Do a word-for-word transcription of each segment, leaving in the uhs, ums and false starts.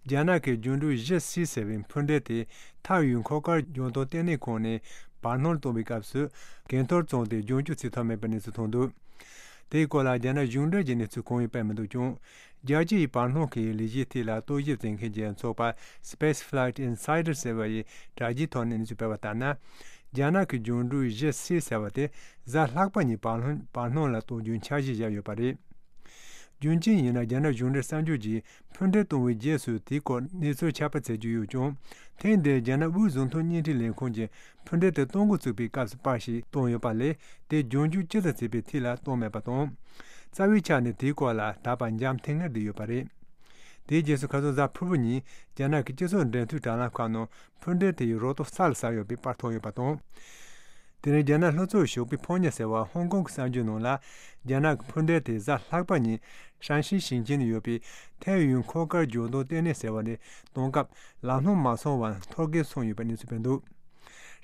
རྒྱ་ནག་གི་འགྱུར་འགྲོས་ཞི་སི་ཟེར་བའི་འཕུར་མདེལ་དེ་ཐའེ་ཡུན་མཁོ་དཀར་ལྗང་མདོག་ལྟེ་གནས་ཁང་ནས་བར་སྣང་གཏོང་བའི་སྐབས་སུ་གན་ཐོར་བཙོངས་ཏེ་རྒྱུན་སྐྱོར་བྱེད་ཐུབ་མེད་པའི་གནས་ཚུལ་ཐོན་འདུག་དེའི་སྐོར་ལ་རྒྱ་ནག་གཞུང་འབྲེལ་གྱི་གནས་ཚུལ་གང་ཡང་སྤེལ་མི་འདུག་ཀྱང་། རྒྱལ་སྤྱི་ཡི་བར་སྣང་གི་ལས་གཞིའི་ཐད་ལ་རྟོག་ཞིབ་བྱེད་མཁན་གྱི་ཚོགས་པ་Space Flight Insider ཟེར་བ་ཡི་དྲ་རྒྱའི་ཐོག་ནས་གནས་ཚུལ་སྤེལ་བ་ལྟར་ན། རྒྱ་ནག་གི་འགྱུར་འགྲོས་ཞི་སི་ཟེར་བ་དེ་གཟའ་ལྷག་པ་ཉིན་བར་སྣང་བར་སྣང་ལ་གཏོང་རྒྱུའི་འཆར་གཞི་བཞག་ཡོད་པ་རེད། རྒྱུ་མཚན་ཡིན་ན། རྒྱ་ནག་གཞུང་འབྲེལ་གསར་འགྱུར་གྱིས་འཕུར་མདེལ་གཏོང་བའི་རྗེས་སུ་དེའི་སྐོར་གནས་ཚུལ་ཁྱབ་སྤེལ་བྱེད་རྒྱུ་ཡོད་ཀྱང་། ཐེངས་འདིར་རྒྱ་ནག་དབུས་བཟོ་ཚོང་བརྙན་འཕྲིན་ལས་ཁུངས་ཀྱིས་འཕུར་མདེལ་དེ་གཏོང་འགོ་བཙུགས་པའི་སྐབས་སུ་པར་ཞིག་བཏོན་ཡོད་པ་ལས། དེ་རྒྱུན་སྐྱོར་ཅི་ཙམ་བྱས་པའི་ཐད་ལ་བཏོན་མེད་པ་དང་། རྩ་བའི་ཆ་ནས་དེའི་སྐོར་ལ་ད་བར་འཇམ་ཐིང་ངེར་བསྡད་ཡོད་པ་རེད། དེའི་རྗེས་སུ་ཁ་སང་གཟའ་ཕུར་བུ་ཉིན་རྒྱ་ནག་གི་སྤྱི་ཚོགས་འབྲེལ་མཐུད་དྲ་ལམ་ཁག་ནང་འཕུར་མདེལ་དེ་ཡི་རོ་ཏོ་ས་ལ་ཟགས་ཡོད་པའི་པར་ཐོན་ཡོད་པ་དང་། དེ་རིང་རྒྱ་ནག་ལྷོ་ཕྱོགས་ཞོགས་པའི་ཕོ་ཉ་ཟེར་བ་ཧོང་ཀོང་གི་གསར་འགྱུར་ནང་ལ། རྒྱ་ནག་གི་འཕུར་མདེལ་དེ་གཟའ་ལྷག་པ་ཉིན་ཧྲན་ཤི་ཞིང་ཆེན་ནང་ཡོད་པའི་ཐའེ་ཡུན་མཁོ་དཀར་ལྗང་མདོག་ལྟེ་གནས་ཟེར་བ་ནས་གཏོང་སྐབས་ལམ་ལྷོང་མ་སོང་བར་འཐོར་གེགས་སོང་ཡོད་པའི་གནས་ཚུལ་སྤེལ་འདུག་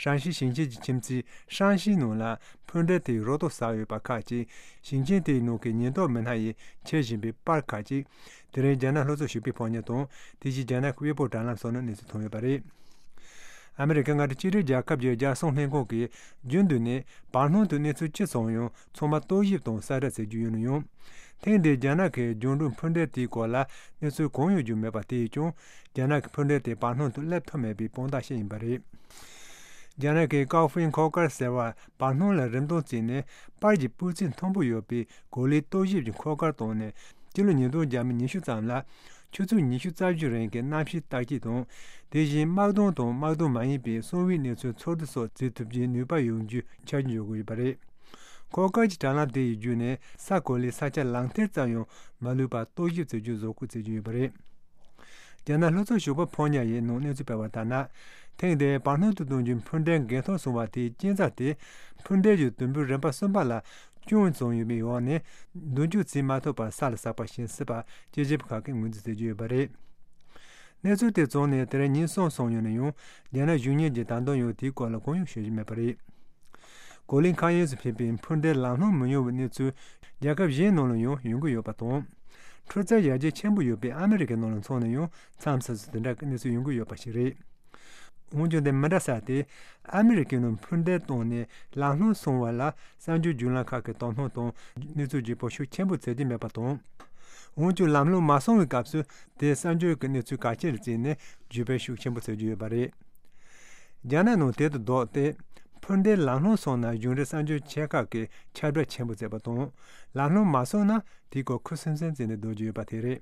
ཧྲན་ཤི་ཞིང་ཆེན་གྱི་ཁྱིམ་མཚེས་ཧྲན་ཤི་ནང་ལ་འཕུར་མདེལ་དེའི་རོ་ཏོ་ཟགས་ཡོད་པ་ཁག་ཅིག་ཞིང་ཆེན་དེའི་ནང་གི་ཉེན་རྟོག་མི་སྣ་ཡིས་མཁྱེན་བཞིན་པའི་པར་ཁག་ཅིག་དེ་རིང་རྒྱ་ནག་ལྷོ་ཕྱོགས་ཞོགས་པའི་ཕོ་ཉ་དང་། དེ་བཞིན་རྒྱ་ནག་གི་ཝེ་པོ་དྲ་ལམ་སོགས་ནང་གནས་ཚུལ་ཐོན་ཡོད་པ་རེད། ཨ་མི་རི་ཀ་མངའ་སྡེ་གཅིག་སྒྲིལ་རྒྱལ་ཁབ་ཀྱི་རྒྱལ་སྲུང་ལྷན་ཁང་གིས་རྒྱུན་དུ་ནས་བར་སྣང་དུ་གནས་ཚུལ་ཅི་བྱུང་ཡང་ཚང་མ་རྟོག་ཞིབ་དང་གསལ་བསྒྲགས་བྱེད་རྒྱུ་ཡིན་ན་ཡང་། ཐེངས་འདིའི་རྒྱ་ནག་གི་འགྱུར་འགྲོས་འཕུར་མདེལ་དེའི་སྐོར་ལ་གནས་ཚུལ་གང་ཡང་བྱུང་མེད་པ་དེས་ཀྱང་། རྒྱ་ནག་གི་འཕུར་མདེལ་དེ་བར་སྣང་དུ་སླེབས་ཐུབ་མེད་པའི་དཔང་རྟགས་ཤིག་ཡིན་པ་རེད། རྒྱ་ནག་གི་ཀའོ་ཧྥིན་མཁོ་དཀར་ཟེར་བ་བར་སྣང་ལ་རིམ་སྟོན་བྱས་ནས་པར་གྱི་སྤུས་ཚད་མཐོན་པོ་ཡོད་པའི་གོ་ལའི་རྟོག་ཞིབ་ཀྱི་མཁོ་དཀར་བཏང་ནས། སྤྱི་ལོ་ཉིས་སྟོང་ཉི་ཤུ་ཙམ་ལ་ཆུ་ཚོད་ཉི་ཤུ་རྩ་བཞི་རིང་གི་གནམ་གཤིས་བརྟག་དཔྱད་དང་། དེ་བཞིན་དམག་དོན་དང་དམག་དོན་མ་ཡིན་པའི་གསང་བའི་གནས་ཚུལ་འཚོལ་བསྡུ་སོགས་བྱེད་ཐུབ་རྒྱུའི་ནུས་པ་ཡོང་རྒྱུའི་འཆར་གཞི་འཇོག་གི་ཡོད་པ་རེད། མཁོ་དཀར་གྱི་དྲ་ལམ་དེ་ཡི་བརྒྱུད་ནས་ས་གོ་ལའི་ས་ཆ་ལག་འཐེན་ཙམ་ཡང་མ་ལུས་པར་རྟོག་ཞིབ་བྱེད་རྒྱུ་བཟོ་བཀོད་བྱེད་ཀྱི་ཡོད་པ་རེད། རྒྱ་ནག་ལྷོ་ཕྱོགས་ཞོགས་པ་ཕོ་ཉ་ཡི་ནང་གནས་ཚུལ་སྤེལ་བ་ལྟར་ན། ཐེངས་འདིའི་བར་སྣང་དུ་གཏོང་རྒྱུའི་འཕུར་མདེལ་འགན་ཐོག་སོང་བ་དེའི་རྐྱེན་རྩ་དེ། འཕུར་མདེལ་གྱི་དུམ་བུ་རིམ་པ་གསུམ་པ་ལ་སྐྱོན་བྱུང་ཡོད་པའི་འོག་ནས། མདུན་སྐྱོད་བྱེད་མ་ཐུབ་པར་ས་ལ་ཟགས་པ་ཞིག་ཡིན་སྲིད་པ་དཔྱད་ཞིབ་ཁག་གིས་ངོས་འཛིན་བྱེད་ཀྱི་ཡོད་པ་རེད། གནས་ཚུལ་དེ་བྱུང་ནས་དེ་རིང་ཉིན་གསུམ་སོང་ཡོད་ན་ཡང་། རྒྱ་ནག་གཞུང་གཉེར་གྱིས་ད་དུང་ཡང་དེའི་སྐོར་ལ་གང་ཡང་ཤོད་ཀྱི་མེད་པ་རེད། གོ་ལའི་མཁའ་དབྱིངས་སུ་ཕེབས་པའི་འཕུར་མདེལ་ལམ་ལྷོང་མི་ཡོང་བའི་གནས་ཚུལ་རྒྱལ་ཁབ་གཞན་ནང་ལ་ཡང་ཡོང་གི་ཡོད་པ་དང་། འཕྲུལ་རྩལ་ཡར་རྒྱས་ཆེན་པོ་ཡོད་པའི་ཨ་མི་རི་ཀའི་ནང་ལ་མཚོན་ན་ཡང་མཚམས་མཚམས་སུ་དེ་འདྲ་གི་གནས་ཚུལ་ཡོང་གི་ཡོད་པ་ཞིག་རེད། འོན་ཀྱང་དེ་མི་འདྲ་ས་དེ། ཨ་མི་རི་ཀའི་ནང་འཕུར་མདེལ་བཏང་ནས་ལམ་ལྷོང་སོང་བ་ལ་གསར་འགྱུར་བརྒྱུད་ལམ་ཁག་གི་དོ་སྣང་དང་གནས་ཚུལ་བརྗོད་པ་ཤུགས་ཆེན་པོ་བྱེད་ཀྱི་མེད་པ་དང་། འོན་ཀྱང་ལམ་ལྷོང་མ་སོང་བའི་སྐབས་སུ་དེ་གསར་འགྱུར་གྱི་གནས་ཚུལ་གལ་ཆེ་རུ་བརྩིས་ནས་བརྗོད་པ་ཤུགས་ཆེན་པོ་བྱེད་ཀྱི་ཡོད་པ་རེད། རྒྱ་ནག་ནང་དེ་དང་ལྡོག་སྟེ། འཕུར་མདེལ་ལམ་ལྷོང་སོང་ན་གཞུང་འབྲེལ་གསར་འགྱུར་ཆེ་ཁག་གིས་ཁྱབ་བསྒྲགས་ཆེན་པོ་བྱས་པ་དང་། ལམ་ལྷོང་མ་སོང་ན་དེའི་སྐོར་ཁུ་སིམ་སིམ་བྱས་ནས་སྡོད་ཀྱི་ཡོད་པ་དེ་རེད།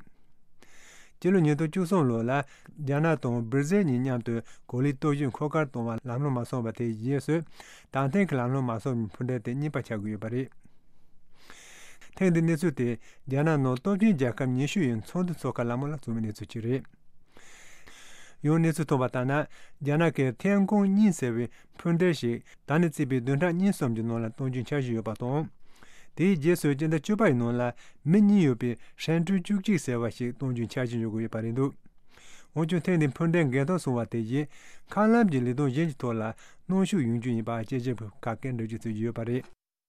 སྤྱི་ལོ་ཉིས་སྟོང་བཅུ་གསུམ་ལོ་ལ་རྒྱ་ནག་དང་སྦིར་ཟེལ་གཉིས་མཉམ་དུ་གོ་ལའི་རྟོག་ཞིབ་མཁོ་དཀར་གཏོང་བ་ལམ་ལྷོང་མ་སོང་བ་དེའི་རྗེས་སུ། ད་ཐེངས་ཀྱི་ལམ་ལྷོང་མ་སོང་བའི་འཕུར་མདེལ་དེ་གཉིས་པ་ཆགས་ཀྱི་ཡོད་པ་རེད། ཐེངས་འདིའི་གནས་ཚུལ་དེ་རྒྱ་ནག་ནང་སྟོབས་ཆེན་རྒྱལ་ཁབ་ཉི་ཤུ་ཡི་ཚོགས་འདུ་འཚོགས་ཁང་ལ་མོ་ལ་བྱུང་བའི་གནས་ཚུལ་ཅིག་རེད། ཡང་གནས་ཚུལ་ཐོན་པ་ལྟར་ན། རྒྱ་ནག་གི་ཐེན་ཀོང་གཉིས་ཟེར་བའི་འཕུར་མདེལ་ཞིག་ད་ནི་བརྩིས་པའི་བདུན་ཕྲག་གཉིས་གསུམ་གྱི་ནང་ལ་གཏོང་རྒྱུའི་འཆར་གཞི་ཡོད་པ་དང་། དེའི་རྗེས་སུ་སྤྱི་ཟླ་བཅུ་པ་ཡི་ནང་ལ་མི་གཉིས་ཡོད་པའི་ཧྲན་ཀྲུའུ་བཅུ་གཅིག་ཟེར་བ་ཞིག་གཏོང་རྒྱུའི་འཆར་གཞི་འཇོག་གི་ཡོད་པ་རེད་འདུག་འོན་ཀྱང་ཐེངས་འདིའི་འཕུར་མདེལ་འགན་ཐོག་སོང་བ་དེ་བཞིན་མཁའ་ལམ་གྱི་ལས་དོན་གཞན་གྱི་ཐོག་ལ་གནོན་ཤུགས་ཡོང་རྒྱུ་ཡིན་པ་དཔྱད་ཞིབ་ཁག་གིས་འགྲེལ་བརྗོད་བྱེད་ཀྱི་ཡོད་པ་རེད།